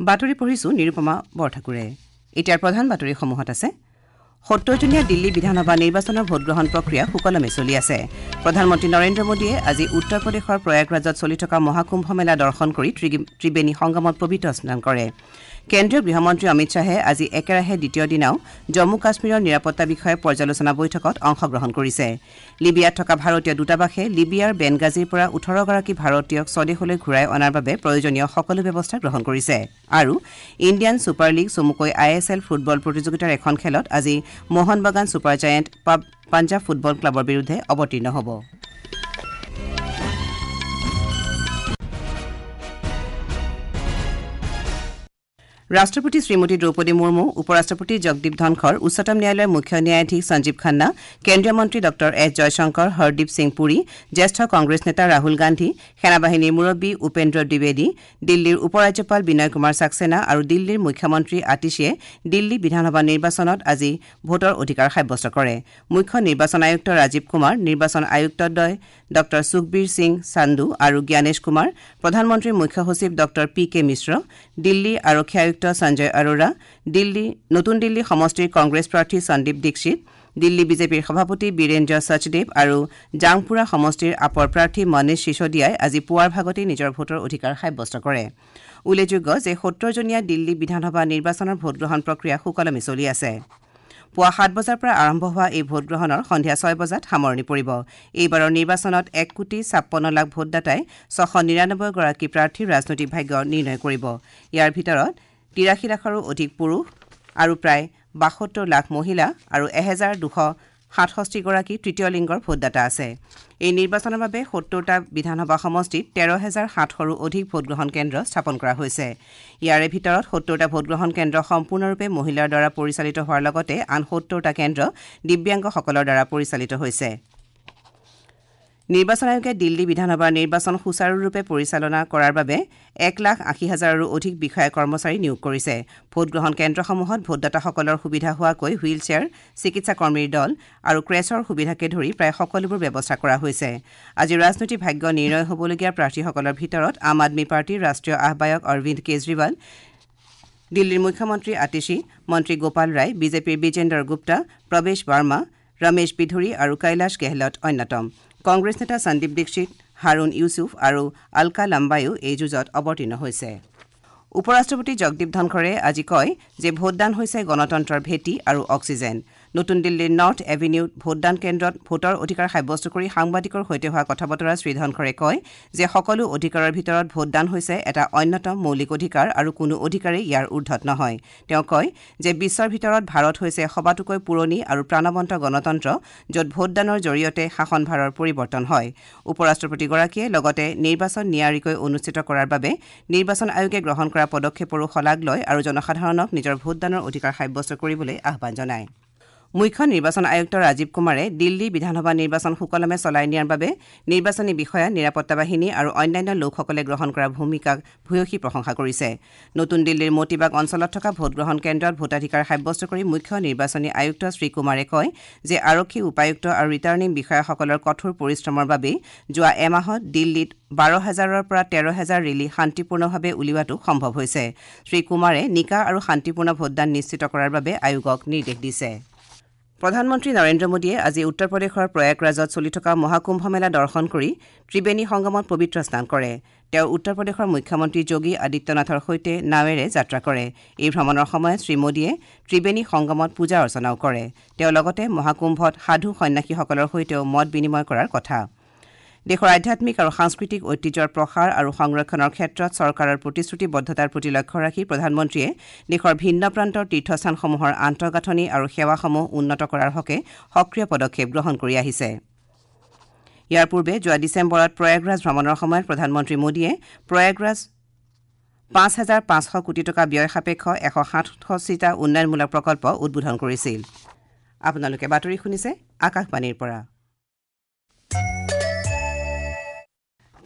বাতৰি পঢ়িছো নিৰুপমা বৰঠাকুৰে। এতিয়াৰ প্ৰধান বাতৰিসমূহত আছে ৭০জনীয়া দিল্লী বিধানসভা নিৰ্বাচনৰ ভোটগ্ৰহণ প্ৰক্ৰিয়া সুকলমে চলি আছে। প্ৰধানমন্ত্ৰী নৰেন্দ্ৰ মোদীয়ে আজি উত্তৰ প্ৰদেশৰ প্ৰয়াগৰাজত চলি থকা মহাকুম্ভ মেলা দৰ্শন কৰি ত্ৰিবেণী সংগমত পবিত্ৰ স্নান কৰে। কেন্দ্ৰীয় গৃহমন্ত্ৰী অমিত শ্বাহে আজি একেৰাহে দ্বিতীয় দিনাও জম্মু কাশ্মীৰৰ নিৰাপত্তা বিষয়ক পৰ্যালোচনা বৈঠকত অংশগ্ৰহণ কৰিছে। লিবিয়াত থকা ভাৰতীয় দূতাবাসে লিবিয়াৰ বেনগাজীৰ পৰা ১৮গৰাকী ভাৰতীয়ক স্বদেশলৈ ঘূৰাই অনাৰ বাবে প্ৰয়োজনীয় সকলো ব্যৱস্থা গ্ৰহণ কৰিছে। আৰু ইণ্ডিয়ান ছুপাৰ লীগ চমুকৈ I S L football প্ৰতিযোগিতাৰ এখন খেলত আজি মোহন বাগান ছুপাৰ জায়েণ্ট পাঞ্জাৱ ফুটবল ক্লাবৰ বিৰুদ্ধে অৱতীৰ্ণ হ'ব। ৰাষ্ট্ৰপতি শ্ৰীমতী দ্ৰৌপদী মুৰ্মু, উপ ৰাষ্ট্ৰপতি জগদীপ ধনখৰ, উচ্চতম ন্যায়ালয়ৰ মুখ্য ন্যায়াধীশ সঞ্জীৱ খান্না, কেন্দ্ৰীয় মন্ত্ৰী ডঃ এছ জয়শংকৰ, হৰদীপ সিং পুৰী, জ্যেষ্ঠ কংগ্ৰেছ নেতা ৰাহুল গান্ধী, সেনাবাহিনীৰ মুৰব্বী উপেন্দ্ৰ দ্বিবেদী, দিল্লীৰ উপ ৰাজ্যপাল বিনয় কুমাৰ ছাক্সেনা আৰু দিল্লীৰ মুখ্যমন্ত্ৰী আতিশীয়ে দিল্লী বিধানসভা নিৰ্বাচনত আজি ভোটৰ অধিকাৰ সাব্যস্ত কৰে। মুখ্য নিৰ্বাচন আয়ুক্ত ৰাজীৱ কুমাৰ, নিৰ্বাচন আয়ুক্তদ্বয় ডঃ সুখবীৰ সিং সান্ধু আৰু জ্ঞানেশ কুমাৰ, প্ৰধানমন্ত্ৰীৰ মুখ্য সচিব ডঃ পি কে মিশ্ৰ, দিল্লী আৰক্ষী আয়ুক্ত সঞ্জয় আৰোৰা, নতুন দিল্লী সমষ্টিৰ কংগ্ৰেছ প্ৰাৰ্থী সন্দীপ দীক্ষিত, দিল্লী বিজেপিৰ সভাপতি বীৰেন্দ্ৰ সচদেৱ আৰু জাংপুৰা সমষ্টিৰ আপৰ প্ৰাৰ্থী মনীষ চিছোদিয়াই আজি পুৱাৰ ভাগতেই নিজৰ ভোটৰ অধিকাৰ সাব্যস্ত কৰে। উল্লেখযোগ্য যে ৭০জনীয়া দিল্লী বিধানসভা নিৰ্বাচনৰ ভোটগ্ৰহণ প্ৰক্ৰিয়া সুকলমে চলি আছে। পুৱা ৭ বজাৰ পৰা আৰম্ভ হোৱা এই ভোটগ্ৰহণৰ সন্ধিয়া ৬ বজাত সামৰণি পৰিব। এইবাৰৰ নিৰ্বাচনত ১,৫৬,০০,০০০ ভোটদাতাই ৬৯৯গৰাকী প্ৰাৰ্থীৰ ৰাজনৈতিক ভাগ্য নিৰ্ণয় কৰিব। ইয়াৰ ভিতৰত ৮৩ লাখৰো অধিক পুৰুষ আৰু প্ৰায় ৭২ লাখ মহিলা আৰু ১২৬৭গৰাকী তৃতীয় লিংগৰ ভোটদাতা আছে। এই নিৰ্বাচনৰ বাবে ৭০টা বিধানসভা সমষ্টিত ১৩,৭০০ৰো অধিক ভোটগ্ৰহণ কেন্দ্ৰ স্থাপন কৰা হৈছে। ইয়াৰে ভিতৰত ৭০টা ভোটগ্ৰহণ কেন্দ্ৰ সম্পূৰ্ণৰূপে মহিলাৰ দ্বাৰা পৰিচালিত হোৱাৰ লগতে আন ৭০টা কেন্দ্ৰ দিব্যাংগসকলৰ দ্বাৰা পৰিচালিত হৈছে। নিৰ্বাচন আয়োগে দিল্লী বিধানসভাৰ নিৰ্বাচন সুচাৰুৰূপে পৰিচালনা কৰাৰ বাবে ১,৮০,০০০ৰো অধিক বিষয়া কৰ্মচাৰী নিয়োগ কৰিছে। ভোটগ্ৰহণ কেন্দ্ৰসমূহত ভোটদাতাসকলৰ সুবিধা হোৱাকৈ হুইল চেয়াৰ, চিকিৎসা কৰ্মীৰ দল আৰু ক্ৰেচৰ সুবিধাকে ধৰি প্ৰায় সকলোবোৰ ব্যৱস্থা কৰা হৈছে। আজি ৰাজনৈতিক ভাগ্য নিৰ্ণয় হ'বলগীয়া প্ৰাৰ্থীসকলৰ ভিতৰত আম আদমী পাৰ্টীৰ ৰাষ্ট্ৰীয় আহ্বায়ক অৰবিন্দ কেজৰিৱাল, দিল্লীৰ মুখ্যমন্ত্ৰী আতিশী, মন্ত্ৰী গোপাল ৰায়, বিজেপিৰ বিজেন্দৰ গুপ্তা, প্ৰৱেশ বাৰ্মা, ৰমেশ বিধুৰী আৰু কৈলাশ গেহলট অন্যতম। কংগ্ৰেছ নেতা সন্দীপ দীক্ষিত, হাৰুণ ইউছুফ আৰু অলকা লাম্বায়ো এই যুঁজত অৱতীৰ্ণ হৈছে। উপ ৰাষ্ট্ৰপতি জগদীপ ধনখৰে আজি কয় যে ভোটদান হৈছে গণতন্ত্ৰৰ ভেটি আৰু অক্সিজেন। নতুন দিল্লীৰ নৰ্থ এভিনিউত ভোটদান কেন্দ্ৰত ভোটৰ অধিকাৰ সাব্যস্ত কৰি সাংবাদিকৰ সৈতে হোৱা কথা বতৰাত শ্ৰী ধনখৰে কয় যে সকলো অধিকাৰৰ ভিতৰত ভোটদান হৈছে এটা অন্যতম মৌলিক অধিকাৰ আৰু কোনো অধিকাৰেই ইয়াৰ ঊৰ্ধত নহয়। তেওঁ কয় যে বিশ্বৰ ভিতৰত ভাৰত হৈছে সবাতোকৈ পুৰণি আৰু প্ৰাণৱন্ত গণতন্ত্ৰ, য'ত ভোটদানৰ জৰিয়তে শাসনভাৰৰ পৰিৱৰ্তন হয়। উপ ৰাষ্ট্ৰপতিগৰাকীয়ে লগতে নিৰ্বাচন নিয়াৰিকৈ অনুষ্ঠিত কৰাৰ বাবে নিৰ্বাচন আয়োগে গ্ৰহণ কৰা পদক্ষেপৰো শলাগ লয় আৰু জনসাধাৰণক নিজৰ ভোটদানৰ অধিকাৰ সাব্যস্ত কৰিবলৈ আহ্বান জনায়। মুখ্য নিৰ্বাচন আয়ুক্ত ৰাজীৱ কুমাৰে দিল্লী বিধানসভা নিৰ্বাচন সুকলমে চলাই নিয়াৰ বাবে নিৰ্বাচনী বিষয়া, নিৰাপত্তা বাহিনী আৰু অন্যান্য লোকসকলে গ্ৰহণ কৰা ভূমিকাক ভূয়সী প্ৰশংসা কৰিছে। নতুন দিল্লীৰ মতিবাগ অঞ্চলত থকা ভোটগ্ৰহণ কেন্দ্ৰত ভোটাধিকাৰ সাব্যস্ত কৰি মুখ্য নিৰ্বাচনী আয়ুক্ত শ্ৰীকুমাৰে কয় যে আৰক্ষী উপায়ুক্ত আৰু ৰিটাৰ্ণিং বিষয়াসকলৰ কঠোৰ পৰিশ্ৰমৰ বাবেই যোৱা এমাহত দিল্লীত ১২,০০০ৰ পৰা ১৩,০০০ ৰেলী শান্তিপূৰ্ণভাৱে উলিওৱাটো সম্ভৱ হৈছে। শ্ৰীকুমাৰে নিকা আৰু শান্তিপূৰ্ণ ভোটদান নিশ্চিত কৰাৰ বাবে আয়োগক নিৰ্দেশ দিছে। প্ৰধানমন্ত্ৰী নৰেন্দ্ৰ মোদীয়ে আজি উত্তৰ প্ৰদেশৰ প্ৰয়াগৰাজত চলি থকা মহাকুম্ভ মেলা দৰ্শন কৰি ত্ৰিবেণী সংগমত পবিত্ৰ স্নান কৰে। তেওঁ উত্তৰ প্ৰদেশৰ মুখ্যমন্ত্ৰী যোগী আদিত্যনাথৰ সৈতে নাৱেৰে যাত্ৰা কৰে। এই ভ্ৰমণৰ সময়ত শ্ৰীমোদীয়ে ত্ৰিবেণী সংগমত পূজা অৰ্চনাও কৰে। তেওঁ লগতে মহাকুম্ভত সাধু সন্যাসীসকলৰ সৈতেও মত বিনিময় কৰাৰ কথা। দেশৰ আধ্যাত্মিক আৰু সাংস্কৃতিক ঐতিহ্যৰ প্ৰসাৰ আৰু সংৰক্ষণৰ ক্ষেত্ৰত চৰকাৰৰ প্ৰতিশ্ৰুতিবদ্ধতাৰ প্ৰতি লক্ষ্য ৰাখি প্ৰধানমন্ত্ৰীয়ে দেশৰ ভিন্ন প্ৰান্তৰ তীৰ্থস্থানসমূহৰ আন্তঃগাঁথনি আৰু সেৱাসমূহ উন্নত কৰাৰ হকে সক্ৰিয় পদক্ষেপ গ্ৰহণ কৰি আহিছে। ইয়াৰ পূৰ্বে যোৱা ডিচেম্বৰত প্ৰয়াগৰাজ ভ্ৰমণৰ সময়ত প্ৰধানমন্ত্ৰী মোদীয়ে প্ৰয়াগৰাজ ৫,৫০০ কোটি টকা ব্যয় সাপেক্ষ ১৬৭টা উন্নয়নমূলক প্ৰকল্প উদ্বোধন কৰিছিল। আপোনালোকে বাতৰি শুনিছে আকাশবাণীৰ পৰা।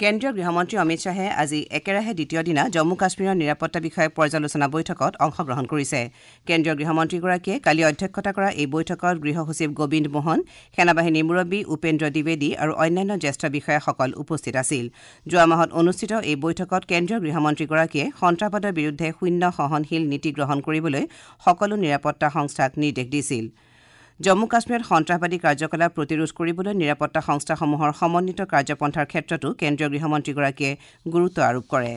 কেন্দ্ৰীয় গৃহমন্ত্ৰী অমিত শ্বাহে আজি একেৰাহে দ্বিতীয় দিনা জম্মু কাশ্মীৰৰ নিৰাপত্তা বিষয়ক পৰ্যালোচনা বৈঠকত অংশগ্ৰহণ কৰিছে। কেন্দ্ৰীয় গৃহমন্ত্ৰীগৰাকীয়ে কালি অধ্যক্ষতা কৰা এই বৈঠকত গৃহ সচিব গোবিন্দ মোহন, সেনাবাহিনীৰ মুৰব্বী উপেন্দ্ৰ দ্বিবেদী আৰু অন্যান্য জ্যেষ্ঠ বিষয়াসকল উপস্থিত আছিল। যোৱা মাহত অনুষ্ঠিত এই বৈঠকত কেন্দ্ৰীয় গৃহমন্ত্ৰীগৰাকীয়ে সন্ত্ৰাসবাদৰ বিৰুদ্ধে শূন্য সহনশীল নীতি গ্ৰহণ কৰিবলৈ সকলো নিৰাপত্তা সংস্থাক নিৰ্দেশ দিছিল। জম্মু কাশ্মীৰত সন্ত্ৰাসবাদী কাৰ্যকলাপ প্ৰতিৰোধ কৰিবলৈ নিৰাপত্তা সংস্থাসমূহৰ সমন্বিত কাৰ্যপন্থাৰ ক্ষেত্ৰতো কেন্দ্ৰীয় গৃহমন্ত্ৰীগৰাকীয়ে গুৰুত্ব আৰোপ কৰে।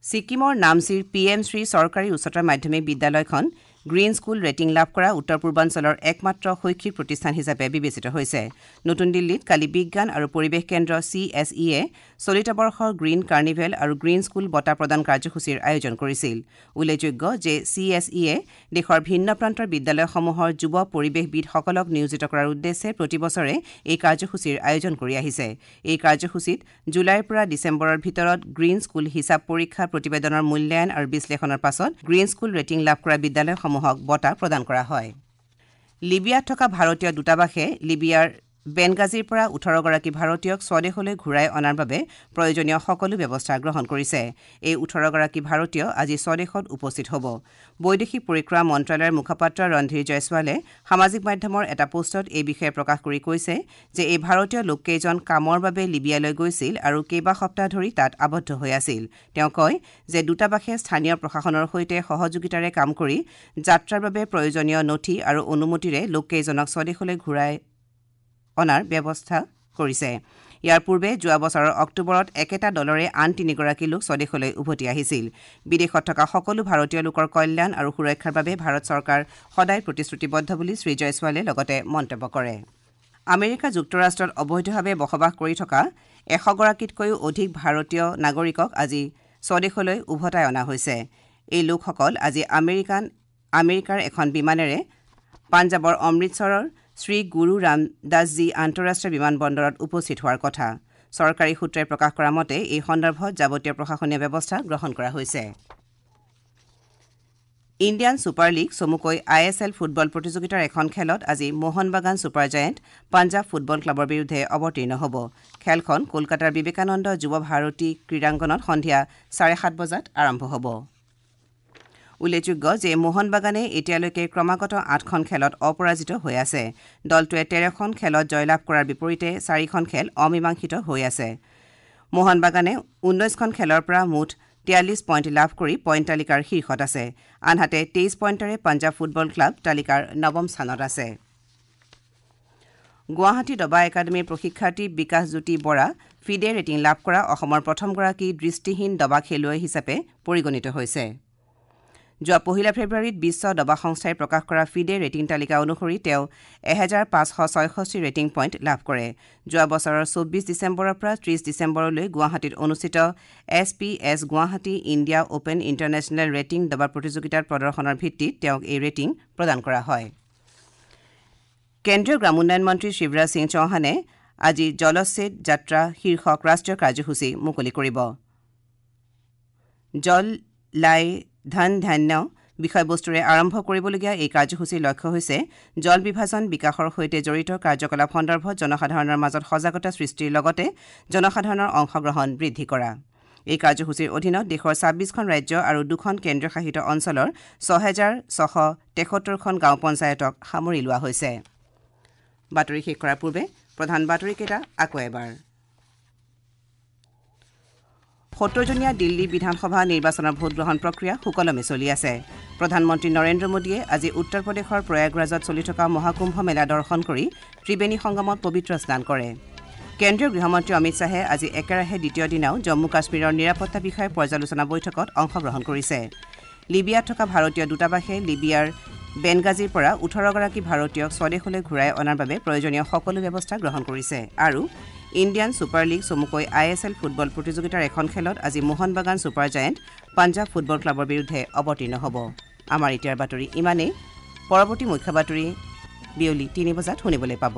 ছিকিমৰ নামচিৰ পি এম শ্ৰী চৰকাৰী উচ্চতৰ মাধ্যমিক বিদ্যালয়খন গ্ৰীণ স্কুল ৰেটিং লাভ কৰা উত্তৰ পূৰ্বাঞ্চলৰ একমাত্ৰ শৈক্ষিক প্ৰতিষ্ঠান হিচাপে বিবেচিত হৈছে। নতুন দিল্লীত কালি বিজ্ঞান আৰু পৰিৱেশ কেন্দ্ৰ চি এছ ইয়ে চলিত বৰ্ষৰ গ্ৰীণ কাৰ্নিভেল আৰু গ্ৰীণ স্কুল বঁটা প্ৰদান কাৰ্যসূচীৰ আয়োজন কৰিছিল। উল্লেখযোগ্য যে চি এছ ইয়ে দেশৰ ভিন্ন প্ৰান্তৰ বিদ্যালয়সমূহৰ যুৱ পৰিৱেশবিদসকলক নিয়োজিত কৰাৰ উদ্দেশ্যে প্ৰতি বছৰে এই কাৰ্যসূচীৰ আয়োজন কৰি আহিছে। এই কাৰ্যসূচীত জুলাইৰ পৰা ডিচেম্বৰৰ ভিতৰত গ্ৰীণ স্কুল হিচাপ পৰীক্ষা প্ৰতিবেদনৰ মূল্যায়ন আৰু বিশ্লেষণৰ পাছত গ্ৰীণ স্কুল ৰেটিং লাভ কৰা বিদ্যালয়সমূহ বঁটা প্ৰদান কৰা হয়। লিবিয়াত থকা ভাৰতীয় দূতাবাসে লিবিয়াৰ বেনগাজীৰ পৰা ১৮গৰাকী ভাৰতীয়ক স্বদেশলৈ ঘূৰাই অনাৰ বাবে প্ৰয়োজনীয় সকলো ব্যৱস্থা গ্ৰহণ কৰিছে। এই ১৮গৰাকী ভাৰতীয় আজি স্বদেশত উপস্থিত হ'ব। বৈদেশিক পৰিক্ৰমা মন্ত্ৰালয়ৰ মুখপাত্ৰ ৰণধীৰ জয়ছোৱালে সামাজিক মাধ্যমৰ এটা পোষ্টত এই বিষয়ে প্ৰকাশ কৰি কৈছে যে এই ভাৰতীয় লোককেইজন কামৰ বাবে লিবিয়ালৈ গৈছিল আৰু কেইবা সপ্তাহ ধৰি তাত আবদ্ধ হৈ আছিল। তেওঁ কয় যে দূতাবাসে স্থানীয় প্ৰশাসনৰ সৈতে সহযোগিতাৰে কাম কৰি যাত্ৰাৰ বাবে প্ৰয়োজনীয় নথি আৰু অনুমতিৰে লোককেইজনক স্বদেশলৈ ঘূৰাই অনাৰ ব্যৱস্থা কৰিছে। ইয়াৰ পূৰ্বে যোৱা বছৰৰ অক্টোবৰত একেটা দলৰে আন ৩গৰাকী লোক স্বদেশলৈ উভতি আহিছিল। বিদেশত থকা সকলো ভাৰতীয় লোকৰ কল্যাণ আৰু সুৰক্ষাৰ বাবে ভাৰত চৰকাৰ সদায় প্ৰতিশ্ৰুতিবদ্ধ বুলি শ্ৰী জয়ছোৱালে লগতে মন্তব্য কৰে। আমেৰিকা যুক্তৰাষ্ট্ৰত অবৈধভাৱে বসবাস কৰি থকা ১০০গৰাকীতকৈও অধিক ভাৰতীয় নাগৰিকক আজি স্বদেশলৈ উভতাই অনা হৈছে। এই লোকসকল আজি আমেৰিকাৰ এখন বিমানেৰে পাঞ্জাৱৰ অমৃতসৰৰ শ্ৰী গুৰু ৰামদাসজী আন্তঃৰাষ্ট্ৰীয় বিমানবন্দৰত উপস্থিত হোৱাৰ কথা। চৰকাৰী সূত্ৰই প্ৰকাশ কৰা মতে এই সন্দৰ্ভত যাৱতীয় প্ৰশাসনীয় ব্যৱস্থা গ্ৰহণ কৰা হৈছে। ইণ্ডিয়ান ছুপাৰ লীগ চমুকৈ I S L football প্ৰতিযোগিতাৰ এখন খেলত আজি মোহন বাগান ছুপাৰ জায়েণ্ট পাঞ্জাৱ ফুটবল ক্লাবৰ বিৰুদ্ধে অৱতীৰ্ণ হ'ব। খেলখন কলকাতাৰ বিবেকানন্দ যুৱ ভাৰতী ক্ৰীড়াংগনত সন্ধিয়া ৭:৩০ বজাত আৰম্ভ হ'ব। উল্লেখযোগ্য যে মোহন বাগানে এতিয়ালৈকে ক্ৰমাগত ৮খন খেলত অপৰাজিত হৈ আছে। দলটোৱে ১৩খন খেলত জয়লাভ কৰাৰ বিপৰীতে ৪খন খেল অমীমাংসিত হৈ আছে। মোহন বাগানে ১৯খন খেলৰ পৰা মুঠ ৪৩ পইণ্ট লাভ কৰি পইণ্ট তালিকাৰ শীৰ্ষত আছে। আনহাতে ২৩ পইণ্টেৰে পাঞ্জাৱ ফুটবল ক্লাব তালিকাৰ নৱম স্থানত আছে। গুৱাহাটী দবা একাডেমীৰ প্ৰশিক্ষাৰ্থী বিকাশ জ্যোতি বৰা ফিডে ৰেটিং লাভ কৰা অসমৰ প্ৰথমগৰাকী দৃষ্টিহীন দবা খেলুৱৈ হিচাপে পৰিগণিত হৈছে। যোৱা ১ ফেব্ৰুৱাৰীত বিশ্ব দবা সংস্থাই প্ৰকাশ কৰা ফিডে ৰেটিং তালিকা অনুসৰি তেওঁ ১৫৬৬ ৰেটিং পইণ্ট লাভ কৰে। যোৱা বছৰৰ ২৪ ডিচেম্বৰৰ পৰা ৩০ ডিচেম্বৰলৈ গুৱাহাটীত অনুষ্ঠিত S P S Guwahati India open international rating দবা প্ৰতিযোগিতাৰ প্ৰদৰ্শনৰ ভিত্তিত তেওঁক এই ৰেটিং প্ৰদান কৰা হয়। কেন্দ্ৰীয় গ্ৰামোন্নয়ন মন্ত্ৰী শিৱৰাজ সিং চৌহানে আজি জলচ্ছেদ যাত্ৰা শীৰ্ষক ৰাষ্ট্ৰীয় কাৰ্যসূচী মুকলি কৰিব। জল লাই ধন ধান্য বিষয়বস্তুৰে আৰম্ভ কৰিবলগীয়া এই কাৰ্যসূচীৰ লক্ষ্য হৈছে জল বিভাজন বিকাশৰ সৈতে জড়িত কাৰ্যকলাপ সন্দৰ্ভত জনসাধাৰণৰ মাজত সজাগতা সৃষ্টিৰ লগতে জনসাধাৰণৰ অংশগ্ৰহণ বৃদ্ধি কৰা। এই কাৰ্যসূচীৰ অধীনত দেশৰ ২৬খন ৰাজ্য আৰু ২খন কেন্দ্ৰীয়শাসিত অঞ্চলৰ ৬৬৭৩খন গাঁও পঞ্চায়তক সামৰি লোৱা হৈছে। বাতৰি শেষ কৰাৰ পূৰ্বে প্ৰধান বাতৰিকেইটা আকৌ এবাৰ। ৭০জনীয়া দিল্লী বিধানসভা নিৰ্বাচনৰ ভোটগ্ৰহণ প্ৰক্ৰিয়া সুকলমে চলি আছে। প্ৰধানমন্ত্ৰী নৰেন্দ্ৰ মোদীয়ে আজি উত্তৰ প্ৰদেশৰ প্ৰয়াগৰাজত চলি থকা মহাকুম্ভ মেলা দৰ্শন কৰি ত্ৰিবেণী সংগমত পবিত্ৰ স্নান কৰে। কেন্দ্ৰীয় গৃহমন্ত্ৰী অমিত শ্বাহে আজি একেৰাহে দ্বিতীয় দিনাও জম্মু কাশ্মীৰৰ নিৰাপত্তা বিষয়ক পৰ্যালোচনা বৈঠকত অংশগ্ৰহণ কৰিছে। লিবিয়াত থকা ভাৰতীয় দূতাবাসে লিবিয়াৰ বেনগাজীৰ পৰা ১৮গৰাকী ভাৰতীয়ক স্বদেশলৈ ঘূৰাই অনাৰ বাবে প্ৰয়োজনীয় সকলো ব্যৱস্থা গ্ৰহণ কৰিছে। আৰু ইণ্ডিয়ান ছুপাৰ লীগ চমুকৈ I S L football প্ৰতিযোগিতাৰ এখন খেলত আজি মোহন বাগান ছুপাৰ জায়েণ্ট পাঞ্জাৱ ফুটবল ক্লাবৰ বিৰুদ্ধে অৱতীৰ্ণ হ'ব। আমাৰ এতিয়াৰ বাতৰি ইমানেই। পৰৱৰ্তী মুখ্য বাতৰি বিয়লি ৩ বজাত শুনিবলৈ পাব।